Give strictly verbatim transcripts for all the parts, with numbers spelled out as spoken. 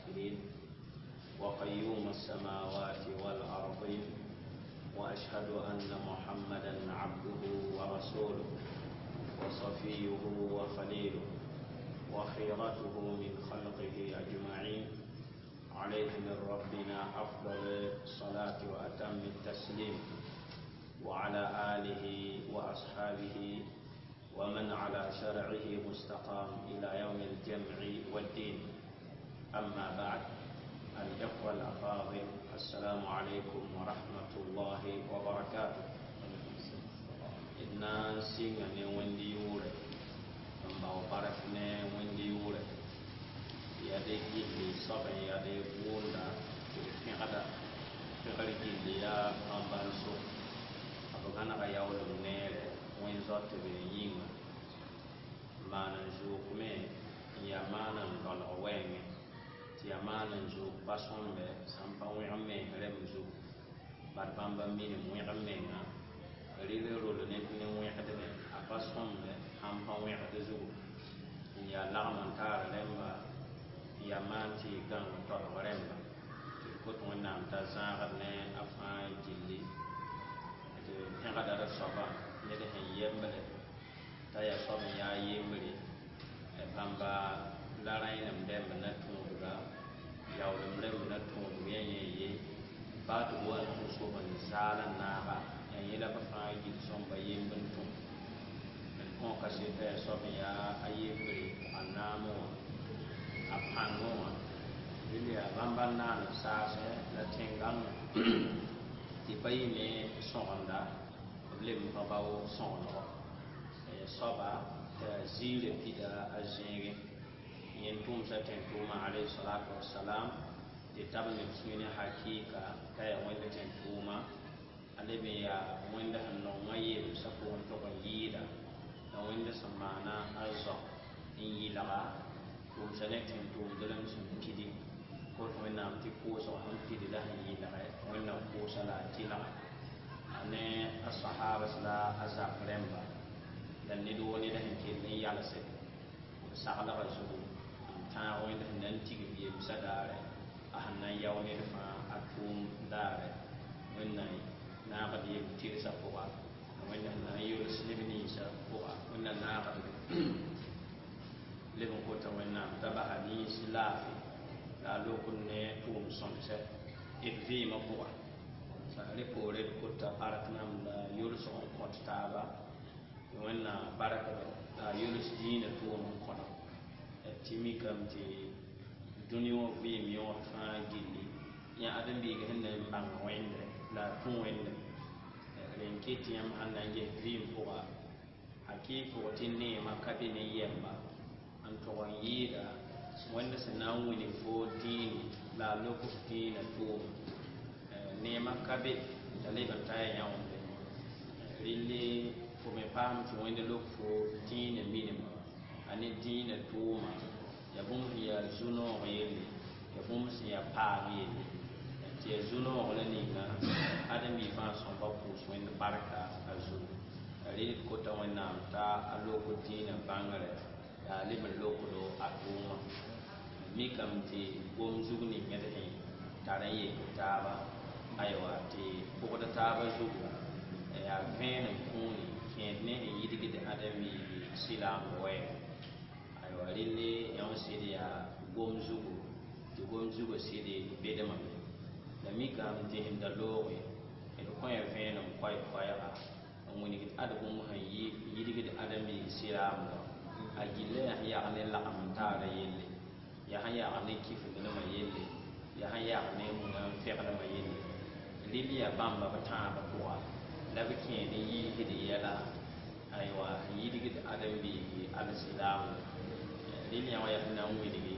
الآخرين وقيوم السماوات والأرضين وأشهد أن محمدا عبده ورسوله وصفيه وخليله وخيرته من خلقه أجمعين عليه من ربنا أفضل الصلاة وأتم التسليم وعلى آله وأصحابه ومن على شرعه مستقام إلى يوم الجمع والدين أما بعد الإخوة الأفاضل السلام عليكم ورحمة الله وبركاته إنا سيغا وندي يوري n bao bark ne wẽnd yʋʋrɛ yaa de gilli soab n yaa de wʋʋnda tɩ d pẽgda pẽgr gilli yaa bãmb-bãnso b gãnega yaoolem neere wẽn zaotb yĩnga maan n zʋʋk me n yaa maan n dɔlg wɛɛngẽ tɩ yaa maan n zʋʋk pa sõmbe sãn pa wẽg mens rẽmb zugu bad bãmba minim wẽg menga rɩl rol ne ne wẽgdme a pa sõmbe sãn pa wẽgd zugu n yaa lagm n taar rẽmba n yaa maan tɩ gãng tolg rẽmba tɩ d kot wẽnnaam t'a zãagd ne a fãa gilli tɩ pẽgda d soaba ned sẽn yembre t'a yaa soab n yaa yembre bãmba la rãenem rẽmb na tũudga yaoolem rẽmb na tũudg yã yẽ ye baa tɩ b wa n tũ sob n zaal n naaga yaa yẽ la b fãa gil sõmba yemb n tũ d kõ kaseta yaa soab n yaa a yembre a naamẽ wã a pãngẽ wã rel yaa bãmba n naan b saasɛ la tẽn-gãngã tɩ pa yɩ ne sõgenda b leb n pa bao sõgenego soaba t'a ziirã pida a zẽegẽ yẽ n tʋmsa tẽn-tʋʋmã alayhi salatu wasalam tɩ tab neb sũy ne hakɩɩka t'a yaa wẽnd tẽn-tʋʋma a leb n yaa wẽnd sẽn nongã yemsã pʋgẽ tog n yɩɩda la wẽnd sẽn maana a zao n yɩlga tʋʋmsa ne tẽn-tʋʋmdlem sẽn pidi kot wẽnnaam tɩ koosg sẽn pidi la sẽn yɩlgɛ wẽnnaam koosa la a tɩlga a ne a sahabas la a zak rẽmba la ned woo ned sẽn kell n yalse b saglgã zugu n tãag wẽnd sẽn na n tigim yemsã daare a sẽn na n yao ned fãa a tʋʋm daare wẽnnaam naagd yem tɩrsã pʋga wẽnd sẽn na n yols neb ninsã pʋga wẽnnaam naagd leb n kota wẽnnaam t'a basa nins laafɩ la a lok n ne tʋʋm sõmsɛ d vɩɩmã pʋga rẽ poore d kota bark nam la yolsg n kõt taaba tɩ wẽnnaam barkdo la a yols dĩinã tʋʋm n kõdo tɩ mikame tɩ dũni wã vɩɩm yõod fãa gilli yã ãdem-biig sẽn na n bãng wẽnde la a tũ wẽnde rẽ n ket tɩ yãmb sãn na n ges vɩɩm pʋga hakɩɩk pʋgẽ tɩ neemã ka be ne yɛmba n tog n yɩɩda wẽnd sẽn na n wilg fo dĩini la a lok f dĩinã tʋʋma neemã ka be t'a leb n ta ya yãonde rɩlle fo me paam tɩ wẽnd lok fo dĩinã minima a ne dĩinã tʋʋma yaa bũmb sẽn yaa zu-noog yelle yaa bũmb sẽn yaa paam yelle tɩ yaa zu-noog la ninga ãdem-biig fãa sõmba pʋʋs wẽnd barka a zugu rɩl d kota wẽnnaam t'a a lok dĩinã bãngrɛ la a leb n lokdo a tʋʋma mikame tɩ gom zug ning d sẽn tar n yek taaba aywa tɩ bʋgd taaba zugu yaa vẽenem kũuni kẽed ne sẽn yidgd ãdem-biigi sɩlaamd wɛɛng aywa relle yã wã sɩd yaa gom zugu tɩ gom zugã sɩd bedmame la mikame tɩ sẽn da looge d kõ ya vẽenem koɛɛ-koɛɛga n wilgd ad bũmb sẽn yidgd ãdem-biig sɩlaamdã a gilla yaa sẽn yag ne lagem n taara yelle yaa sẽn yag ne kifdnema yelle yaa sẽn yag ne muna n fegdmã yelle rɩl yaa bãmba b tãabã pʋga la b kẽed n yiisd yɛla aywa sẽn yidgd ãdem-biigi alsilaamda rɩl yã wã yaa sẽn na n wilgi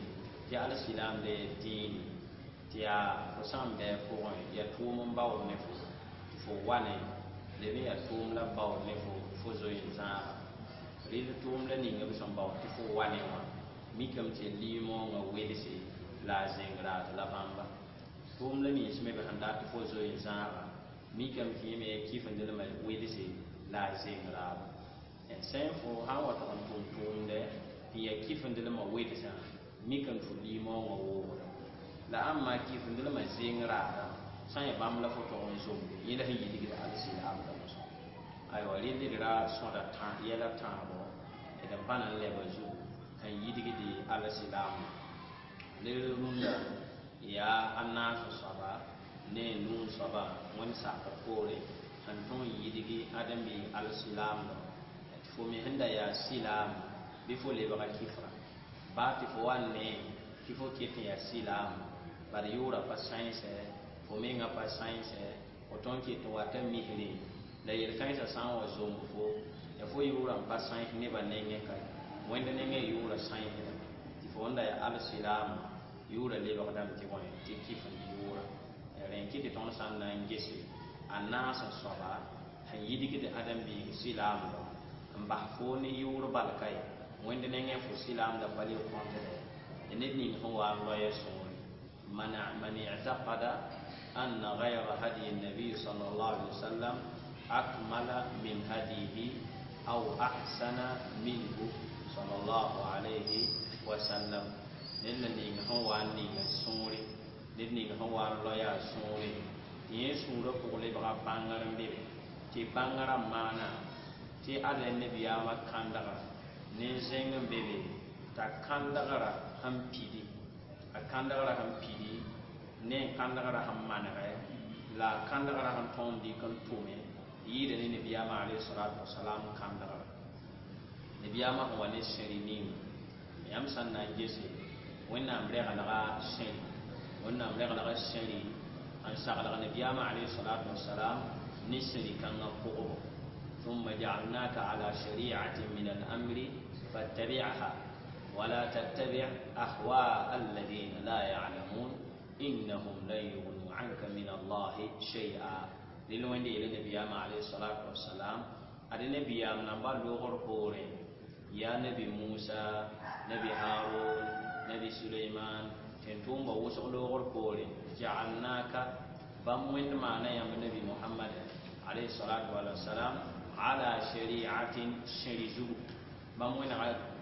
tɩ alsilaamd dĩini tɩ yaa fo sã n bɩ a pʋgẽ yaa tʋʋm n baood ne fo tɩ fo wa ne leb n yaa tʋʋm la baood ne fo fo zoe n zãaga rɩl tʋʋm la ninga b sẽn baood tɩ fo wa ne wã mikame tɩ limoongã welse la a zẽng raad la bãmba tʋʋm la nins me b sẽn dat tɩ fo zoe n zãaga mikame tɩ yẽ me kifendlmã welse la a zẽng raado sẽn fo sã n wa tog n tʋm tʋʋmdɛ tɩ yaa kifendlmã welsã mikame tɩ fo limoongã woogda La ãmb maa kifindlmã zeng raadã sã n yaa bãmb la fo tog n zomde yẽ la sẽn yidgd alsilaamdã mosã aywa rɩl d ra sõda yɛla tãabo d n pa na n lɛba zugu n yidgd alsilaamã lel rũndã yaa a naas soaba ne a nuu soaba wẽnd sakr poore sẽn tõog n yidgi ãdem-biig alsilaamdã tɩ fo me sẽn da yaa silaam bɩ fo lebga kifra baa tɩ fo wa ne tɩ fo ket n yaa silaam bad yʋʋra pa sãensɛ fo menga pa sãensɛ fo tõnd ket n wata misrẽ la yel-kãensã sã n wa zomb fo ya fo yʋʋra n pa sãens nebã nengẽ ka wẽnd nengẽ yʋʋra sãensdame tɩ fo wẽnda yaa alsilaam yʋʋra lebgdame tɩ bõe tɩ kifend yʋʋra rẽ kɩ tɩ tõnd sã n na n gese a naas n soaba sẽn yidgd ãdem-biig silaamdã n bas fo ne yʋʋr bal ka ye wẽnd nengẽ fo silaamdã pa le kõtdɛ ned ning sẽn wa n loya sõore من اعتقد أن غير هدي النبي صلى الله عليه وسلم أكمل من هديه أو أحسن منه صلى الله عليه وسلم ned la ning sẽn wa n ninga sũure ned ning sẽn wa n loya a sũure tɩ yẽ sũurã pʋg lebga bãngr n be be tɩ bãngrã maana tɩ ad nabiyaamã kãndga ne zẽng n be be t'a kãndgrã sẽn pidi a kãndgrã sẽn pidi ne kãndgrã sẽn manegɛ la a kãndgrã sẽn tõog n dɩk n tʋme yɩɩda ne nabiyaamã alayhi salatu wasalam kãndgrã nabiyaamã sẽn wa ne sẽri ninga yãmb sã n na n gese wẽnnaam reglga sẽri wẽnnaam reglga sẽri n saglg nabiyaamã alayhi salatu wasalam ne sẽri kãngã pʋgbo ثم جعلناك على شريعة من الأمر فاتبعها ولا تتبع أهواء الذين لا يعلمون إنهم لن يغنوا عنك من الله شيئا للوين إلى نبي عليه الصلاة والسلام أدي نبي نبا لغر بوري يا نبي موسى نبي هارون نبي سليمان تنتوم بوسق لغر بوري جعلناك بموين معنا يا نبي محمد عليه الصلاة والسلام على شريعة شريزو بموين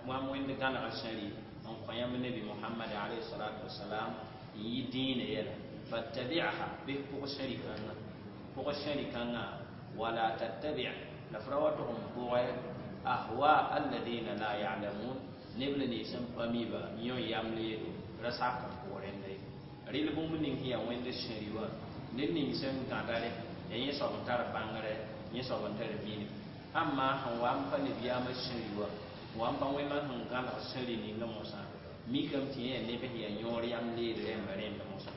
bãmb wẽnd gãneg sẽri n kõ yãmb nabi mohamad alayhi salatu wasalam n yɩ dĩinã yɛla fattabi'ha bɩ pʋg sẽri kãngã pʋg sẽri kãngã wala tattabi' la f ra wa tʋg n pʋgɛ ahwa alladina la ya'lamun neb la nins n pa miba yõ yaml yeelo ra sak n pʋg rẽnda ye rɩl bũmb ning sẽn yaa wẽnd sẽri wã ned ning sẽn gãdare yaa yẽ soab n tar bãngrɛ yẽ soab n tar minim ãmma sẽn wa n pa nabiyaamã sẽri wã wa n pa wẽnnaam sẽn gãneg sẽri ninga mosã mikame tɩ yẽ neb sẽn yaa yõor yam leed rẽmba rẽnd mosã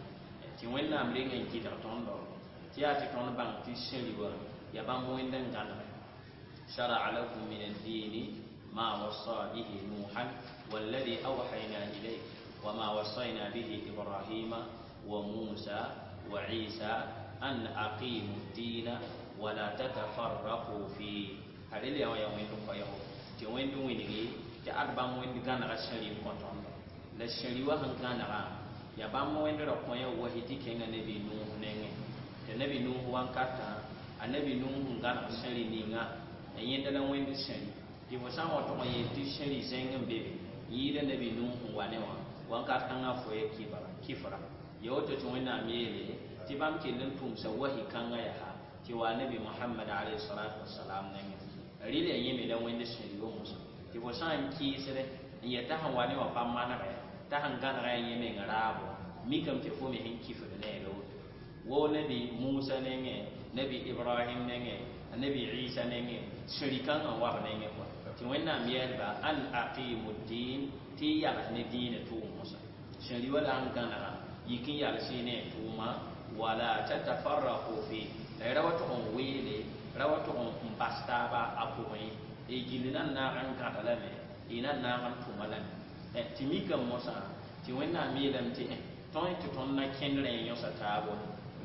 tɩ wẽnnaam reng n gɩdg tõndo tɩ yaa tɩ tõnd bãng tɩ sẽri wã yaa bãmb wẽnd n gãnege شرع لكم من الدين ما وصى به نوحا والذي أوحينا إليه وما وصينا به إبراهيم وموسى وعيسى أن أقيموا الدين ولا تتفرقوا فيه هذا اللي هو يوم يوم tɩ wẽnd wĩngi tɩ ad bãmb wẽnd gãnega sẽri n kõ tõndo la sẽri wã sẽn gãnega yaa bãmb wẽnd ra kõ ya wahi tɩ kẽnga nabi nuh nengẽ tɩ nabi nuh wankatã a nabi nuh n gãneg sẽri ninga a yẽnda la wẽnd sẽri tɩ fo sã n wa tʋg n yeel tɩ sẽri zẽng n be be yɩɩda nabi nuh n wa ne wã wankat kãngã fo ya kifra ya woto tɩ wẽnnaam yeele tɩ bãmb kell n tʋmsa wahi kãngã yaa tɩ wa nabi mohamad alayhi salatu wasalam nengẽ rɩl yaa yẽme la wẽnd sẽri wa mosã tɩ fo sã n kɩɩsdɛ n yet t'a sẽn wa ne wã pa manegɛ t'a sẽn gãnega yaa yẽ meng raabo mikame tɩ fo me sẽn kifd ne la woto wo nabi musa nengẽ nabi ibrahim nengẽ nabi isa nengẽ sẽri kãngã n wa b nengẽ kɔa tɩ wẽnnaam yɛɛlba an aqimu ddin tɩ y yals ne dĩinã tʋʋm mosã sẽri wa la n gãnega yik n yals y ne tʋʋma wala tatafarraqu fi la y ra wa tʋg n weele ra wa tʋg n bas taaba a pʋgẽ y gill na n naag n gãda lame y na n naag n tʋma lame tɩ mikame mosã tɩ wẽnnaam yeelame tɩ tõe tɩ tõnd na kẽnd rẽ yõsa taabo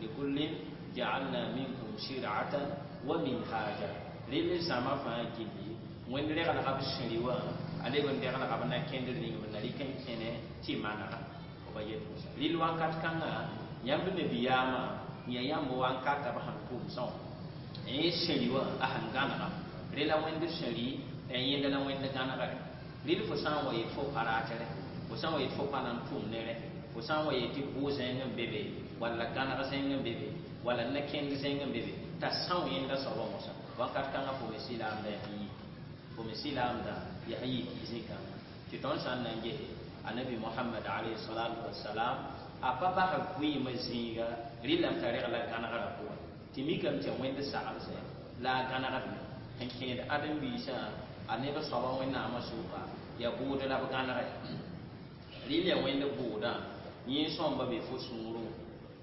likullin ja'alna minkum shir'atan wa minhaja rel zãma fãa gilli wẽnd reglga b sẽri wã a leb n reglga b na kẽndr ning b na rɩk n kẽne tɩ manega b yet mosã rɩl wakat kãngã yãmb nabiyaamã yã yãmb wankata b sẽn tʋmsã wã yẽ sẽri wã a sẽn gãnega rẽ la wẽnd sẽri la yẽnda la wẽnd gãnegre rɩl fo sã n wa yet fo pa ratere fo sã n wa yet fo pa na n tʋm ne rẽ fo sã n wa yeel tɩ bʋ zẽng n be be walla gãneg zẽng n be be walla na-kẽnd zẽng n be be t'a são yẽnda soabã mosã wakat kãngã fo me sɩlaamda yaa n yik fo me sɩlaamda yaa n yik zĩ-kãngã tɩ tõnd sã n na n gese anabi mohamad alayhi salatu wasalam a pa bas vɩɩmã zĩiga rɩlame t'a regla gãnegrã pʋgẽ tɩ mikame tɩ wẽnd saglsɛ la a gãnegdme sẽn kẽed ãdem-biisã a neb soaba wẽnnaamã sʋka yaa bʋʋd la b gãnege rɩl yaa wẽnd bʋʋdã yẽ sõmba be fo sũurẽ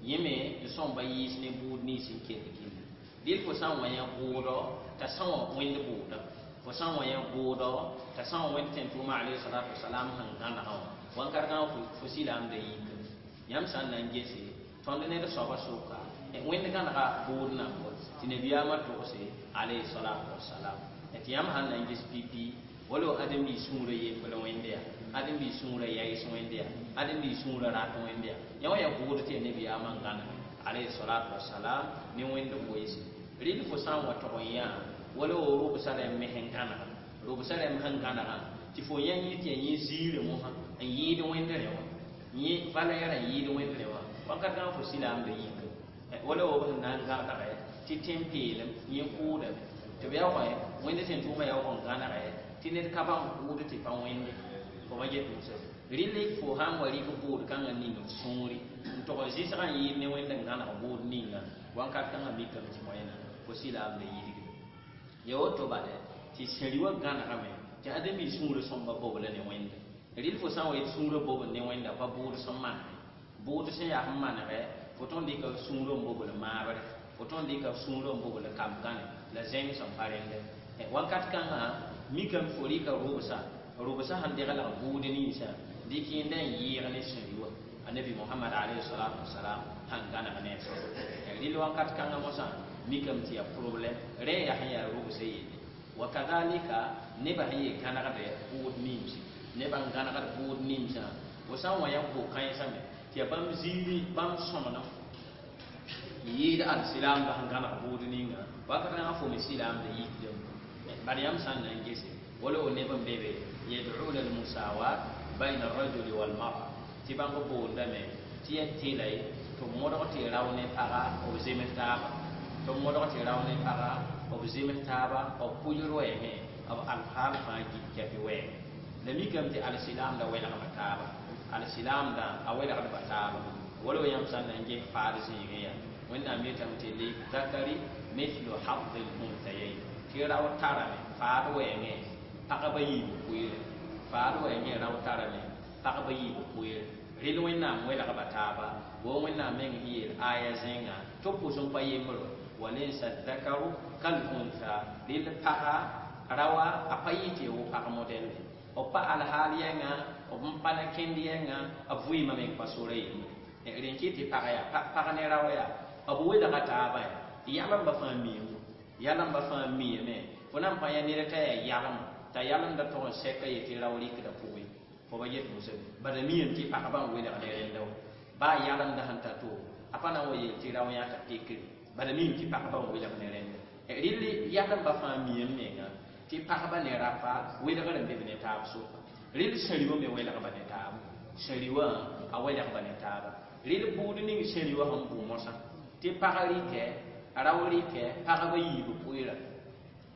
yẽ me n sõmba yɩɩs ne bʋʋd nins n kell gilli rɩl fo sã n wa yã bʋʋdɔ t'a sã wã wẽnd bʋʋdã fo sã n wa yã bʋʋdɔ t'a sã wã wẽnd tẽn-tʋʋma alayhi salatu wasalam sẽn gãnegã wã wãnkat kãngã fo sɩlaamda yik yãmb sã n na n gese tõnd ned soaba sʋka wẽnd gãnega bʋʋd nambo tɩ nabiyaamã togse alayhi salatu wasalam tɩ yãmb sãn na n ges pipi wala ãdem-biis sũurã yembr wẽnde yaa ãdem-biis sũurã yaɩs wẽnde yaa ãdem-biis sũurã rat wẽnde yaa yã wã yaa bʋʋd tɩ yaa nabiyaamã n gãnege alayhi salatu wasalam ne wẽnd goeese rɩl fo sã n wa tog n yã wala wo rʋbsã rẽmb me sẽn gãnega rʋbsã rẽmb sẽn gãnegã tɩ fo yã yẽ tɩ yaa yẽ ziirã mosã n yɩɩd wẽnd rẽ wã yẽ valɛɛrã n yɩɩd wẽnd rẽ wã wakat kãngã fo sɩlaamda yik wala wo b sẽn na n gãnegɛ tɩ tẽn-peelem yẽ kʋʋdame tɩ b yaa kõ wẽnd tẽn-tʋʋmã yaa wa n gãnegɛ tɩ ned ka bãng kʋʋd tɩ pa wẽnde fo pa get mosã rɩl fo sã n wa rɩk bʋʋd kãngã ning f sũuri n tog n zɩsgã n yɩɩd ne wẽnd n gãneg bʋʋd ninga wãnkat kãngã mikame tɩ moẽna fo sɩlaamda yidgme ya woto bala tɩ sẽri wã gãnegame tɩ ãdem-biis sũurã sõmba bobla ne wẽnde rɩl fo sã n wa yet sũurã bobl ne wẽnda pa bʋʋd sẽn manege bʋʋd sẽn yaa sẽn manegɛ fo tõnd dɩka sũurã n bobl maabre fo tõnd dɩka sũurã n bobl kam-gãne la zẽng sẽn pa rẽndɛ wakat kãngã mikame fo rɩka rʋbsã rʋbsã sẽn deglg bʋʋd ninsã dɩk yẽnda n yɩɩg ne sẽri wã anabi mohamad alayhi salatu wasalam sãn gãneg ne a soaba rɩl wakat kãngã mosã mikame tɩ yaa problɛm rẽ yaa sẽn yaa rʋbsã yelle wa kadalika nebã sẽn yee gãnegdɛ bʋʋd nimse nebã n gãnegd bʋʋd nimsã fo sã n wa yã ko-kãensã me tɩ yaa bãmb ziiri bãmb sõmnem n yɩɩd alsilaamda sẽn gãneg bʋʋd ninga wakat kãngã fo me sɩlaamda yikdame bad yãmb sã n na n gese wala wo neb n be be yad'una almusawat bayna arrajuli walmara tɩ bãmb boondame tɩ yaa tɩla ye tɩ b modg tɩ rao ne paga b zems taaba tɩ b modg tɩ rao ne paga b zems taaba b pʋɩl wɛɛngẽ b alhaal fãa git kɛpɩ wɛɛngẽ la mikame tɩ alsilaamda welgba taaba alsilaamdã a welgdba taaba wala wo yãmb sã n na n ges faad zĩigẽ yaa wẽnnaam yetame tɩ lizakari mithlu hadhi l-unthayayn tɩ rao tarame faad wɛɛngẽ pagba yiib pʋɩɩre faad wɛɛngẽ rao tarame pagba yiib pʋɩɩre rɩl wẽnnaam welgba taaba wo wẽnnaam meng sẽn yeel aya zẽnga tɩ b pʋs n pa yembro walaysa dhakaru kal untha rɩl paga rawa a pa yɩ tɩ wo pag modɛl b pa alhaal yɛnga b n pa na kẽnd yɛnga b vɩɩmã meng pa sora yembre rẽn kɩ tɩ pag yaa pag ne rao yaa b welga taaba yaa yalembã fãa miime yalembã fãa miime fo na n pa yã ned t'a yaa yalem t'a yalemda tog n sɛka yetɩ rao rɩkda pʋgẽ fo ba yet mosã bala miame tɩ pagba n welg ne rẽnda wa baa yalemda sẽn ta to a pa na n wa yeel tɩ rao yãta pekre bala miame tɩ pagba n welg ne rẽnda rɩl yalemba fãa miame menga tɩ pagba ne rapa welgr n be b ne taab sʋka rɩl sẽri wã me welgba ne taaba sẽri wã a welgba ne taaba rɩl bʋʋd ning sẽri wã sẽn bʋ mosã tɩ pag rɩkɛ rao rɩkɛ pagba yiib pʋɩra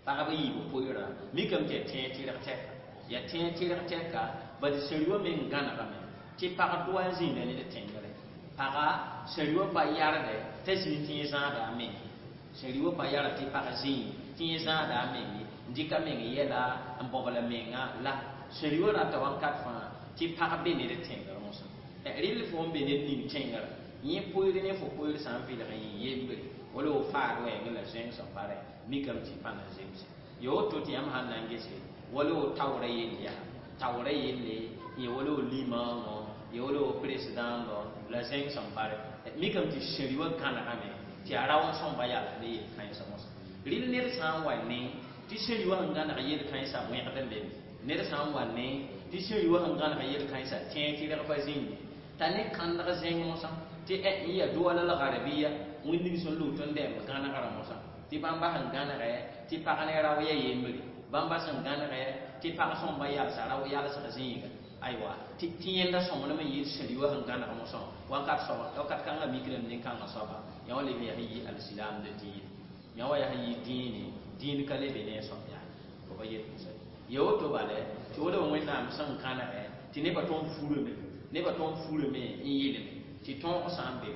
pagba yiib pʋɩra mikame tɩ yaa tẽeg tɩrg tɛka yaa tẽeg tɩrg tɛka bad sẽri wã meng gãnegame tɩ pag doa n zĩnda ned tẽngre paga sẽri wã pa yardɛ t'a zĩig tẽeg zãada a meng sẽri wã pa yard tɩ pag zĩig tẽeg zãada a meng n dɩka meng yɛla n bobla menga la sẽri wã rata wãnkat fãa tɩ pag be ned tẽngr mosã rɩl fo n be ned ning tẽngrã yẽ pʋɩɩr ne fo pʋɩɩr sã n vɩlg n yɩ yembre wala wo faad wɛɛngẽ la zẽng sẽn pa rẽ mikame tɩ pa na zemse ya woto tɩ yãmb sãn na n gese wala wo taoorã yell yaa taoorã yelle yẽ wala wo limãongõ yẽ wala wo presidãndɔ la zẽng sẽn pa rẽ mikame tɩ sẽri wã gãnegame tɩ yaa rao n sõmba yals ne yel-kãensã mosã rɩl ned sã n wa ne tɩ sẽri wã sẽn gãneg yel-kãensã wẽgd n be me ned sã n wa ne tɩ sẽri wã sẽn gãneg yel-kãensã tẽeg tɩ reg pa zĩnge t'a ne kãndg zẽng mosã tɩ n yaa duwala l garbiya wẽnd sẽn lʋʋt n dɛmb gãnegrã mosã tɩ bãmba sẽn gãnegɛ tɩ pag ne rao ya yembre bãmba sẽn gãnegɛ tɩ pag sõmba yalsa rao yalsg zĩiga aywa tɩ yẽnda sõmblem n yɩɩd sẽr-yoa sẽn gãneg mosã wakat soaba wakat kãngã mikrame nin-kãngã soaba yã wã leb n yaa sẽn yɩ alsilaamda dĩin yã wã yaa sẽn yɩ dĩine dĩin ka le be ne a soab yaa fo pa yet mosã ya woto bala tɩ wala wẽnnaam sẽn kãnegɛ tɩ nebã tõnd furame nebã tõnd furame n yeelame tɩ tõog sã n be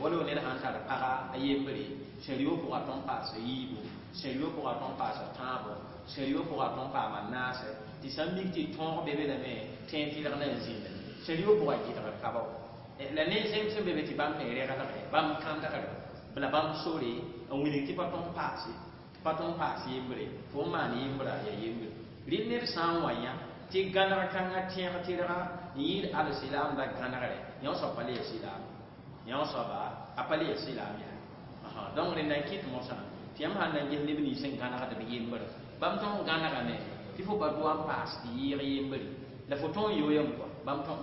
wala ned sãn tar paga a yembre sẽn-yo pʋga tõnd paasa yiibu sẽn-yo pʋga tõnd paasa tãabo sẽn-yo pʋga tõnd paama naase tɩ sã n mik tɩ tõog be be lame tẽeg tɩrg na n zĩnda sẽn-yo pʋga gɩdgr ka bao la ne zẽm sẽn be be tɩ bãmb me reglgɛ bãmb kãndgre la bãmb sore n wilg tɩ pa tõnd paase pa tõnd paas yembre fo n maan yembra yaa yembre rɩ ned sã n wa yã tɩ gãneg kãngã tẽeg tɩrga n yɩɩd alsilaamda gãnegre yã soab pa le ya silaam yã soaba a pa le ya silaam yaa donc rẽnda n kɩt mosã tɩ yãmb sãn na n ges neb nins sẽn gãnegd b yembre bãmb tõnd gãnegame tɩ fo pa doa n paas tɩ yɩɩg yembre la fo tõnd yoyame kɔa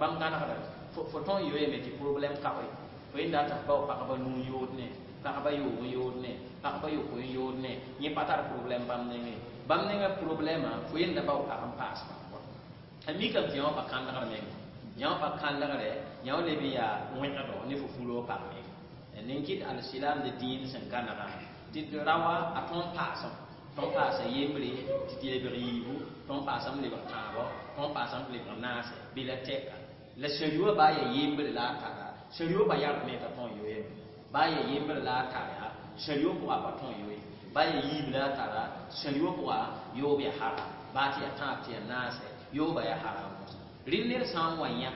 bãmb gãnegda fo tõnd yoyame tɩ problème kaoe fo yẽnda tɩ f bao pagba nuu yood ne pagba yoog n yood ne pagba yokoe n yood ne yẽ pa tar problème bãmb nengẽ bãmb nengã problème fo yẽnda bao pag n paas kɔa a mikame tɩ yã wã pa kãndgr menga yã wã pa kãndgre yã wã leb n yaa wẽgdo ne fo fulo pag menga nin kɩt alsilaamda dĩin sẽn gãnega tɩ raoã a tõnd paasem tõnd paasa yembre tɩ tɩ lebg yiibu tõnd paasame lebg tãabɔ tõnd paasame tɩ lebg naase bɩ la tɛka la sẽn-yoa baa yaa yembre la a tara sẽn-yo ba yardme t'a tõnd yoeeme baa yaa yembre la a tara sẽn-yo pʋga pa tõnd yoe baa yaa yiib la a tara sẽn-yo pʋga yoob yaa haram baa tɩ yaa tãab tɩ yaa naase yooba yaa haram rɩ ned sã n wa yã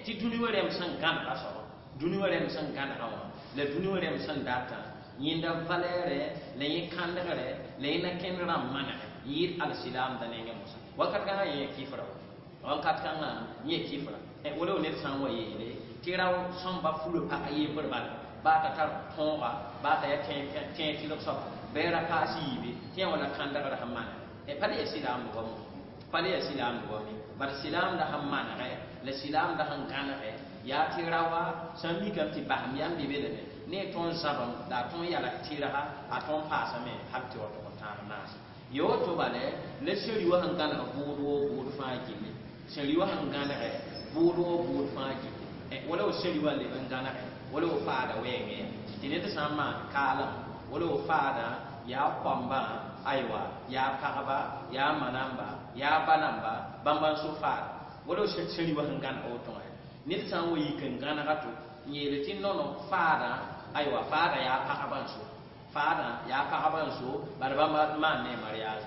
tɩ dũni wã rẽmb sẽn gãnega soaba dũni wã rẽmb sẽn gãnega wã la dũni wã rẽmb sẽn datã yẽnda valɛɛrɛ la yẽ kãndgre la yẽ na kẽnd rãmb manegɛ n yɩɩd alsilaamda nengẽ mosã wakat kãngã yẽ kifra wakat kãngã yẽ kifra wala ned sã n wa yeele tɩ rao sõmba fulã pag yembr bala baa t'a tar tõoga baa t'a yaa tẽeg tɩlg soaba bɩ ra paas yiibe tɩ yã wala kãndgr sẽn manegɛ pa le yaa silaamd wa mo pa le yaa silaamd wa me bar silaamda sẽn manegɛ la silaamda sẽn gãnegɛ yaa tɩ raoa sã n mikame tɩ basem yam be be lame ne a tõnd zãbem la a tõnd yalg tɩrga a tõnd paasame hal tɩ wa tʋg n tãag naase ya woto bala la sẽn-yoa sẽn gãneg bʋʋd woo bʋʋd fãa gilli sẽn-yoa sẽn gãnegɛ bʋʋd woo bʋʋd fãa gilli wala w sẽn-yoa leb n gãnegɛ wala w faada wɛɛngẽ tɩ ned sã n maan kaalem wala w faadã yaa koambã aywa yaa pagba yaa manamba yaa ba namba bãmba n so faada wala w sẽn-yoa sẽn gãneg woto wã ned sã n wa yik n gãnega to n yeel tɩ nono faadã aywa faada yaa pagba n so faadã yaa pagba n so bara bãmba maan ne mariage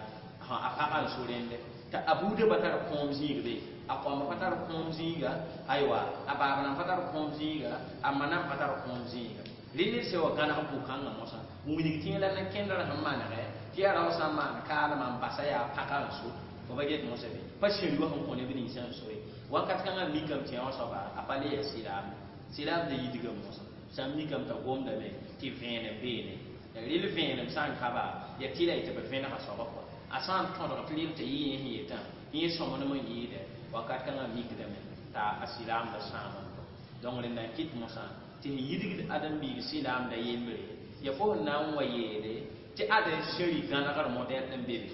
a pagã n so rẽnde t'a a buudã pa tar kõom zĩig be a koamba pa tar kõom zĩiga aywa a baab nan pa tar kõom zĩiga a ma nan pa tar kõom zĩiga rẽ ned sẽn wa gãneg bʋ-kãngã mosã n wilg tɩ la na-kẽndr sẽn manegɛ tɩ yaa rao sã n maan kaalmã n basa yaa pagã n so fo pa get mosã be pa sẽn-yoa sẽn kõ neb ninsã n so ye wakat kãngã mikame tɩ yã wã soaba a pa le yaa silaam silaamda yidgame mosã sã n mikame t'a gomdame tɩ vẽenem beene rɩl vẽenem sã n ka ba yaa tɩ la yetɩ b vẽnega soaba kɔa a sã n tõdg tɩ rɩl t'a yɩ yẽ sẽn yetã yẽ sõmblem n yɩɩdɛ wakat kãngã mikdame t'a a silaamda sãam donc rẽnda n kɩt mosã tɩ sẽn yidgd ãdem-biig silaamda yembre ya fo sẽn na n wa yeele tɩ ad sẽri gãnegr modɛl n be be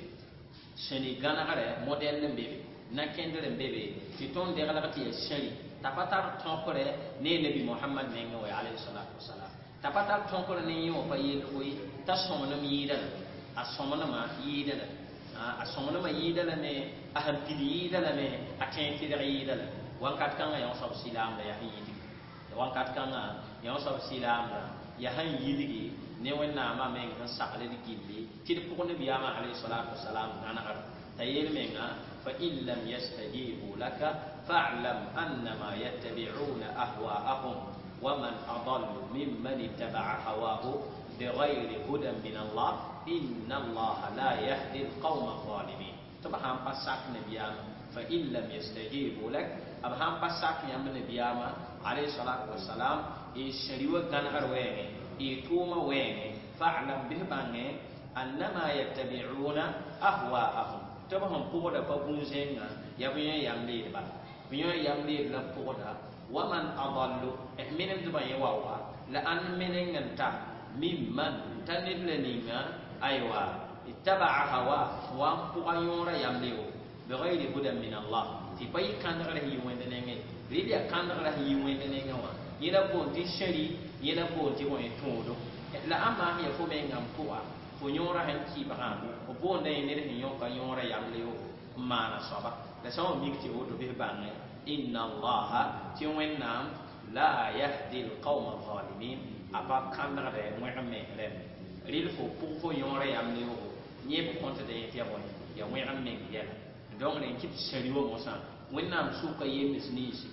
sẽri gãnegrɛ modɛl n be be na-kẽndr n be be tɩ tõnd deglg tɩ yaa sẽri t'a pa tar tõkre ne nabi mohamad mengẽ wa alayhi salatu wasalam t'a pa tar tõkr ne yẽ wã pa yelgo ye t'a sõmblem yɩɩda la a sõmblmã yɩɩda la a sõmblmã yɩɩda lame a sẽn pid yɩɩda lame a tẽeg tɩrg yɩɩda la wakat kãngã yã soab silaamda yaa sẽn yidgi wakat kãngã yã soab silaamda yaa sẽn yidgi ne wẽnnaamã meng sẽn sagl d gilli tɩ d pʋg nabiyaamã alayhi salatu wasalam gãnegr t'a yeel menga fa in lam yastajibu laka fa'lam annama yattabi'una ahwa'ahum ومن أضل ممن اتبع هواه بغير هدى من الله إن الله لا يهدي القوم الظالمين طبعا بساك نبياما فإن لم يستجيبوا لك أبهام بساك يام نبياما عليه الصلاة والسلام إشريو غنغر وين إتوما وين فاعلم به بانge أنما يتبعون أهواءهم طبعا بودا فبونزينغا يبين ياملي با بين ياملي لا بودا ومن أضل من دبا يواوا لأن من انت ممن تنبلنينا أيوة اتبع هواه وان بغيور يمليه بغير هدى من الله Tɩ pa yɩ kãndgrã sẽn yi Wẽnd nengẽ. Rɩl yaa kãndgrã sẽn yi Wẽnd nengẽ wã. Yẽ la boond tɩ sẽri, yẽ la boond tɩ bõe tõodo. La ãmba sẽn ya fo mengã n pʋga, fo yõorã sẽn kɩɩbgã, f boonda yẽ ned sẽn yõka yõorã yaml yogo n maana soaba. La sã n wa mik tɩ woto bɩ f bãngẽ inna allaha tɩ Wẽnnaam la yahdi alqawma alzalimin a pa kãndgdɛ wẽg me rẽmbe. Rɩl fo pʋg fo yõorã yaml yogo yẽ b kõtda yẽ tɩ ya bõe ya wẽg n meng yɛla. Donc rẽ kɩ tɩ sẽri wã mosã Wẽnnaam sʋka yems ninsi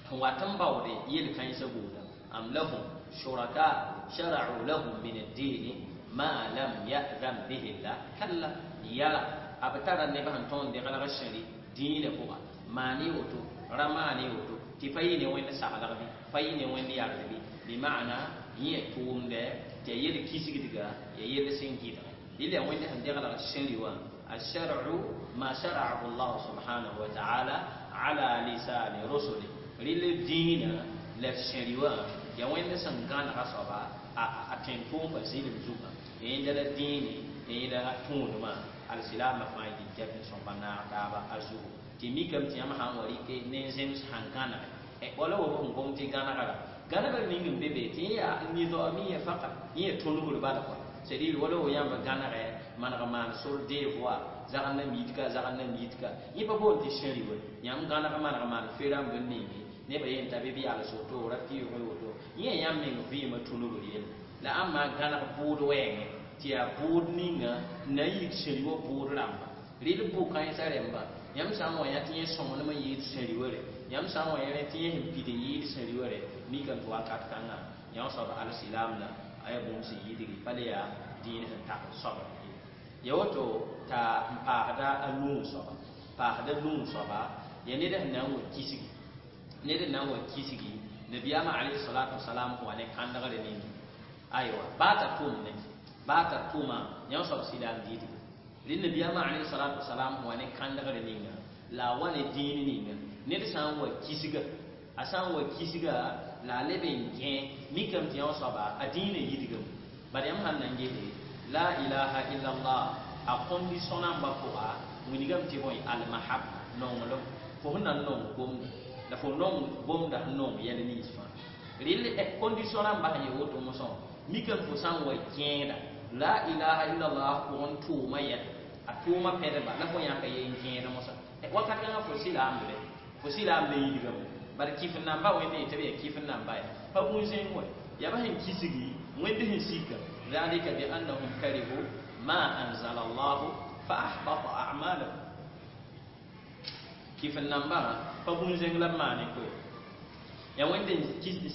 sẽn wat n baoode yel-kãensã buuda am lahum shuraka shara'u lahum min ad-din ma lam ya'zan bihi llah kalla yala a b tara neb sẽn tõnd deglg sẽri dĩinã pʋga maane woto ra maane woto tɩ pa yɩ ne Wẽnd saglg bɩ pa yɩ ne Wẽnd yard bɩ bɩ maana yẽ ya tʋʋmdɛ tɩ ya yel kisgdga ya yell sẽn gɩdge rɩl yaa Wẽnd sẽn deglg sẽri wã الشرع ما شرعه الله سبحانه وتعالى على لسان رسله ريل الدين لا شريوا يا وين سن غان غصبا ا تنتوم بزيل زوما عند الدين إلى تون ما السلام ما فايد جاب سبحانه تابا أزو تيمي كم تيام هان وريك نزم هان غانا ولا هو هم قوم تي غانا غانا غانا غانا نينغ بيبي تي يا نيزو أمي فقط يه تونو بالبالك c'est-à-dire wala wo yãmba gãnegɛ maneg maan sor deux fois zagl na miidka zagl na miidka yẽ pa boond tɩ sẽri we yãmb gãneg maneg maan fe-rãmb n ninge nebã yen t'a bɩ b yals woto ra pɩʋʋg woto yẽ yãmb meng vɩɩmã tũnubr yelle la ãmba gãneg bʋʋd wɛɛngẽ tɩ yaa bʋʋd ninga n na n yik sẽri wã bʋʋd rãmba rɩl bʋ-kãensã rẽmba yãmb sã n wa yã tɩ yẽ sõngnem n yɩɩd sẽri wã re yãmb sã n wa yẽ tɩ yẽ sẽn pid n yɩɩd sẽri wã re mikame tɩ wakat kãngã yã soab alsilaam la aya bũmb sẽn yidgi pa le yaa dĩin sẽn tag soab ya woto t'a n paasda a nuu soaba paasda nuu soaba ya ned sẽn na n wa kisgi ned n na n wa kisgi nabiyaamã alayhi salatu wasalam wa ne kãndgre ningi aywa baa t'a tʋmne baa t'a tʋma yã soab silaam diidga rẽ nabiyaamã alayhi salatu wasalam wa ne kãndgre ninga la a wa ne dĩin ninga ned sã n wa kisga a sã n wa kisga la a leb n gẽ mikame tɩ yã soaba a dĩinã yidgame bala yãmb sãn na n gese la ilaha illallah a condition namba pʋga wilgame tɩ bõe almahabba nonglem fo sẽn na n nong gomda la fo nong gomda sẽn nong yɛl nins fãa rɩl condition rãmba sẽn ye woto mosã mikame fo sã n wa gẽeda la ilaha illallah pʋgẽ tʋʋma yɛla a tʋʋma pɛdba la fo yãka ye n gẽed mosã wakat kãngã fo silaambe fo silaambe yidgame bala kɩf namba wẽnd yetɩ b yaa kɩf namba ya pa bũn-zẽng wa yaa ba sẽn kisgi wẽnd sẽn sika ذلك بأنهم كرهوا ما أنزل الله فأحبط أعمالهم كيف النمبر فبون زنگ la maane koe ya wẽnd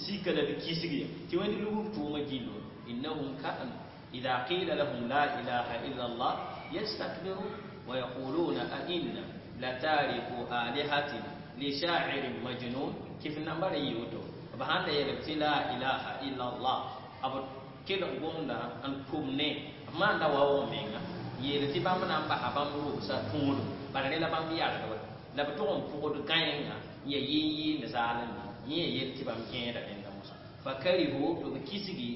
sika la b kisg ya tɩ wẽnd lugb tʋʋmã gillo innahum kanu إذا قيل لهم لا إله إلا الله يستكبرون ويقولون أئنا لتاركو آلهتنا لشاعر مجنون كيف النمبر يوتو بهان يلبتي لا إله إلا الله أبو kell n gomda n tʋm ne b maanda wa wʋg menga yeel tɩ bãmb na n basa bãmb rʋʋsã tõodum bala rẽ la bãmb yalgba la b tʋg n pʋgd gãenga n ya yɩɩn-yɩɩnd zaalem yẽ ya yel tɩ bãmb kẽeda rẽnda mosã fa karihu tɩ b kisgi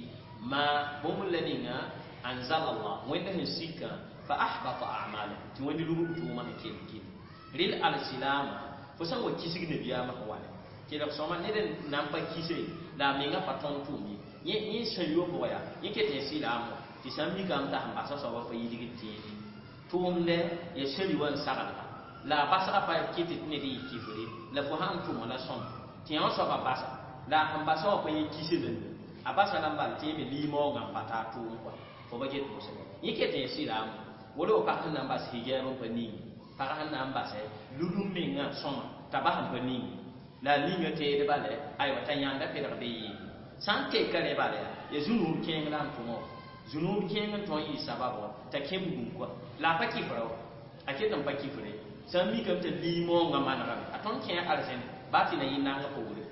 ma bũmb la ninga anzala allah wẽnd sẽn sikã fa ahbata a'malahum tɩ wẽnd lugb tʋʋmã sẽn kell gil rɩl alsilaama fo sã n wa kisg nabiyaamã sẽn wa kelg sõma ned n na n pa kise la a menga pa tõnd tʋʋm ye yẽ yẽ sẽn yo pʋga yaa yẽ ket yẽ silaam wã tɩ sã n mikame t'a sẽn basa soaba pa yidgd tẽene tʋʋmdɛ ya sẽri wã n saglga la a basga pa kɩt tɩ ned yɩ kifre la fo sãn tʋma la sõm tɩ yã soaba basa la sẽn basa wã pa yẽ kise lame a basa la n bal tɩ yẽ me limaoongã n pa taa tʋʋm kɔa fo ba get mosã yẽ ket yẽ silaam wala fo pag sẽn na n bas hijab n pa ningi pag sẽn na n basɛ ludum mengã sõma t'a bas n pa ningi la a ninga teed bala aywa t'a yãnda pedg be yɩɩ sã n teka rẽ bala ya zũnuub kẽeng la n tʋmã wã zũnuub kẽeng n tõe n yɩ sabab wã t'a kẽ bugum kɔa la a pa kɩfra wa a ket n pa kifre sã n mikame t'a limaoongã manegame a tõnd kẽ arzẽne baa tɩ na yɩ nanga poore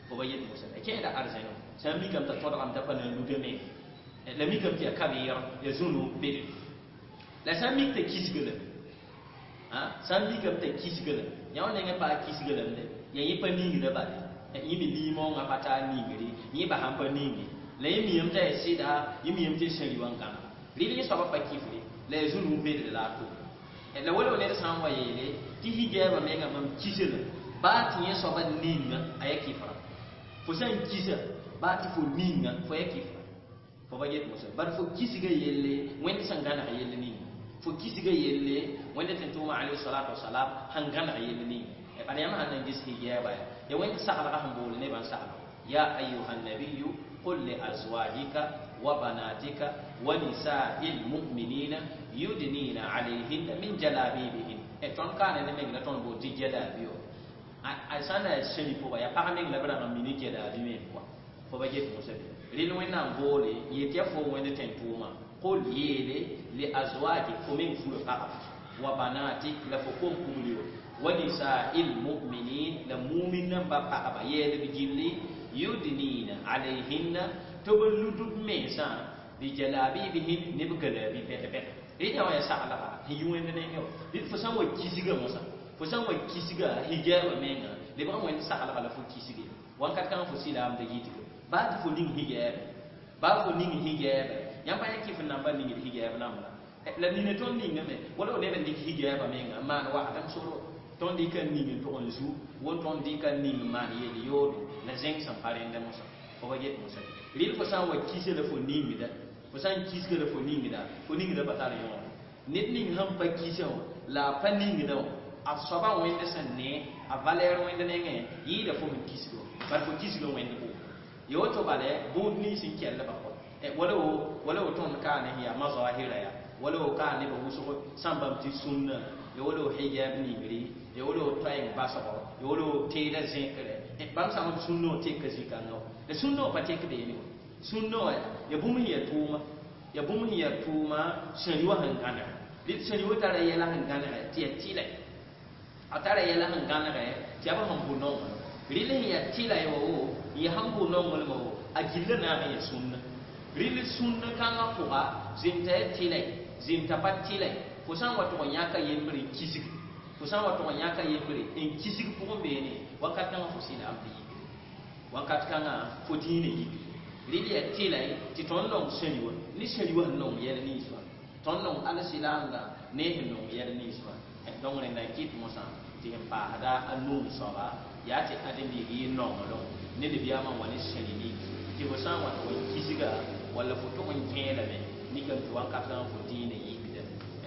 fo ba yet mosã a kẽeda arzẽne sã n mikame t'a tõdgame t'a pa na n ludame la mikame tɩ ya kabeer ya zũnuub bede la sã n mik t'a kisga lame sã n mikame t'a kisga lame yã wã nengẽ paa kisga lamde ya yẽ pa ningda bale yẽ me limaoongã pa taa ningre yẽ ba sãn pa ninge la yẽ miyame t'a ya sɩda yẽ miyame tɩ sẽri wã n gãnega rɩl yẽ soaba pa kifre la ya zũnuub bedre la a tʋm La wala ned sã n wa yeele tɩ hijaabã mengã mam kisã la baa tɩ yẽ soaba ninga a ya kɩfra fo sã n kisa baa tɩ fo ninga fo ya kɩfra fo ba get mosa bar fo kisga yelle wẽnd sẽn gãneg yell ninga fo kisga yelle wẽnd tɩ tʋʋma alayhi salatu wasalam sẽn gãneg yell ninga bala yãmb sãn na n ges hijaaba ya ya wẽnd saglga sẽn bool nebã n saglg ya ayuha nabiyu qul li azwajika wa banatika wa nisai lmuminina yudnina alayhinna min jalabibihin e tõnd kaane ne meng la tõnd bool tɩ jalabi a sã n na yaa sẽni pʋga yaa pag meng la b rãng n mi ne jalabi me pʋga fo ba get mosã bɩ rel wẽnnaam boole yet yaa fo wẽnd tẽn-tʋʋmã qul yeele li azwaji fo meng fura pagba wa banatik la fo kom-pugli wã wa nisai lmuminin la mumin namba pagba yeelb gilli yudnina alayhinna tɩ b lud b mensã bi jalabibihin ne b galabi pɛt-pɛt rɩ wã yaa saglga sẽn yi wẽnd nengẽ wã rɩd fo sã n wa kisga mosã fo sã n wa kisga hijaaba menga lebg n wẽnd saglga la fo kisge wãnkat kãngã fo silaamda yitga baa tɩ fo ning hijaaba baa fo ning hijaaba yãmb pa yã kɩf n namba ningd hijaab namba la nina tõnd ningame wala f neb n dɩk hijaaba menga n maan wakat n soro tõnd dɩka n ning n tʋg n zu won tõnd dɩka n ning n maan yel yoodo la zẽng sẽn pa rẽnda mosã fo ba get mosã rɩl fo sã n wa kisa la fo ningda fo sã n kisga la fo ningda fo ningda pa tar yõore ned ning sẽn pa kisã wã la a pa ningdã wã a soabã wẽnd sẽn ne a valɛɛr wẽnd nengẽ yɩɩda fo sẽn kisga wã bala fo kisga wẽnd pʋgẽ ya woto bala bũud nins n kellbã kɔ wala wo wala wo tõnd kaa ne yaa mazahira ya wala wo kaa nebã wʋsg sãn bãmb tɩ sũnna ya wala wo hijab ningri ya wala wo toɛɛng basgo ya wala wo teeda zẽkre bãmb sã b sũnna wã teka zĩ-kãngã wã la sũnna wã pa tek beene wã sũnna wã ya bũmb sẽn yaa tʋʋma ya bũmb sẽn yaa tʋʋma sẽri wã sẽn gãneg rɩd sẽri wã tara yɛla sẽn gãnegɛ tɩ yaa tɩlɛ a tara yɛla sẽn gãnegɛ tɩ yaa b sẽn bʋ nonglem rɩl sẽn yaa tɩla wa wo n yaa sẽn bʋ nonglem wo a gilla naag n yaa sũnna rɩl sũnna kãngã pʋga zemta ya tɩlɛ zemta pa tɩlɛ fo sã n wa tʋg n yãka yembre n kisg fo sã n wa tʋg n yãka yembre n kisg pʋgẽ beene wakat kãngã fo sɩlaam tɩ yikre wakat kãngã fo dĩinã yikre rɩl yaa tɩlɛ tɩ tõnd nong sẽri wã ne sẽri wã sẽn nong yɛl nins wã tõnd nong al sɩlaamdã ne sẽn nong yɛl nins wã donc rẽnda n kɩt mosã tɩ sẽn paasda a nuu soaba yaa tɩ ãdem-biig yɩ nonglem ne libyãamã wa ne sẽri nins tɩ fo sã n wa tʋg n kisga walla fo tʋg n kẽelame nikame tɩ wakat kãngã fo dĩinã yikda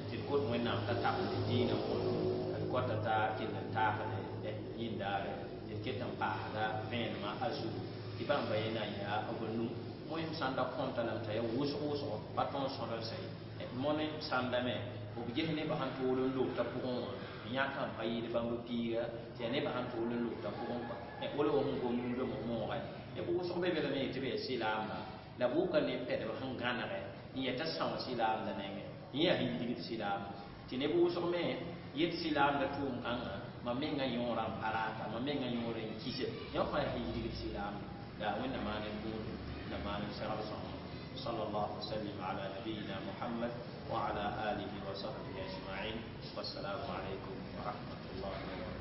tɩ d kot wẽnnaam t'a tabend dĩinã kõto d kota t'a kell n taasd yĩndaare tɩ d ket n paasda vẽenemã a zugu tɩ bãmba yẽ na n yaa b nu moem sãn da kõnta lame t'a ya wʋsg wʋsgo pa tõnd sõdl sɛ mone sãndame b ges nebã sẽn tʋʋl n lobta pʋgẽ wã n yãka n pa yɩɩd bãmb piiga tɩ yaa nebã sẽn tʋʋl n lobta pʋgẽ kɔa wala wa sẽn gom rũndãmbã mõoga b wʋsg be be lame tɩ b yaa sɩlaamba la b wʋka ne pɛdb sẽn gãnegɛ n yɛta são sɩlaamda nengẽ n yaa sẽn yidgd sɩlaamda tɩ neb wʋsg me yet sɩlaamda tʋʋm kãngã mam mengã yõorã n pa raata mam mengã yõorã n kisa yã fãa sẽn yidgd sɩlaamda la wẽnna maan n bũudu na maan n segl sõngo صلى الله وسلم على نبينا محمد وعلى آله وصحبه أجمعين والسلام عليكم ورحمة الله وبركاته.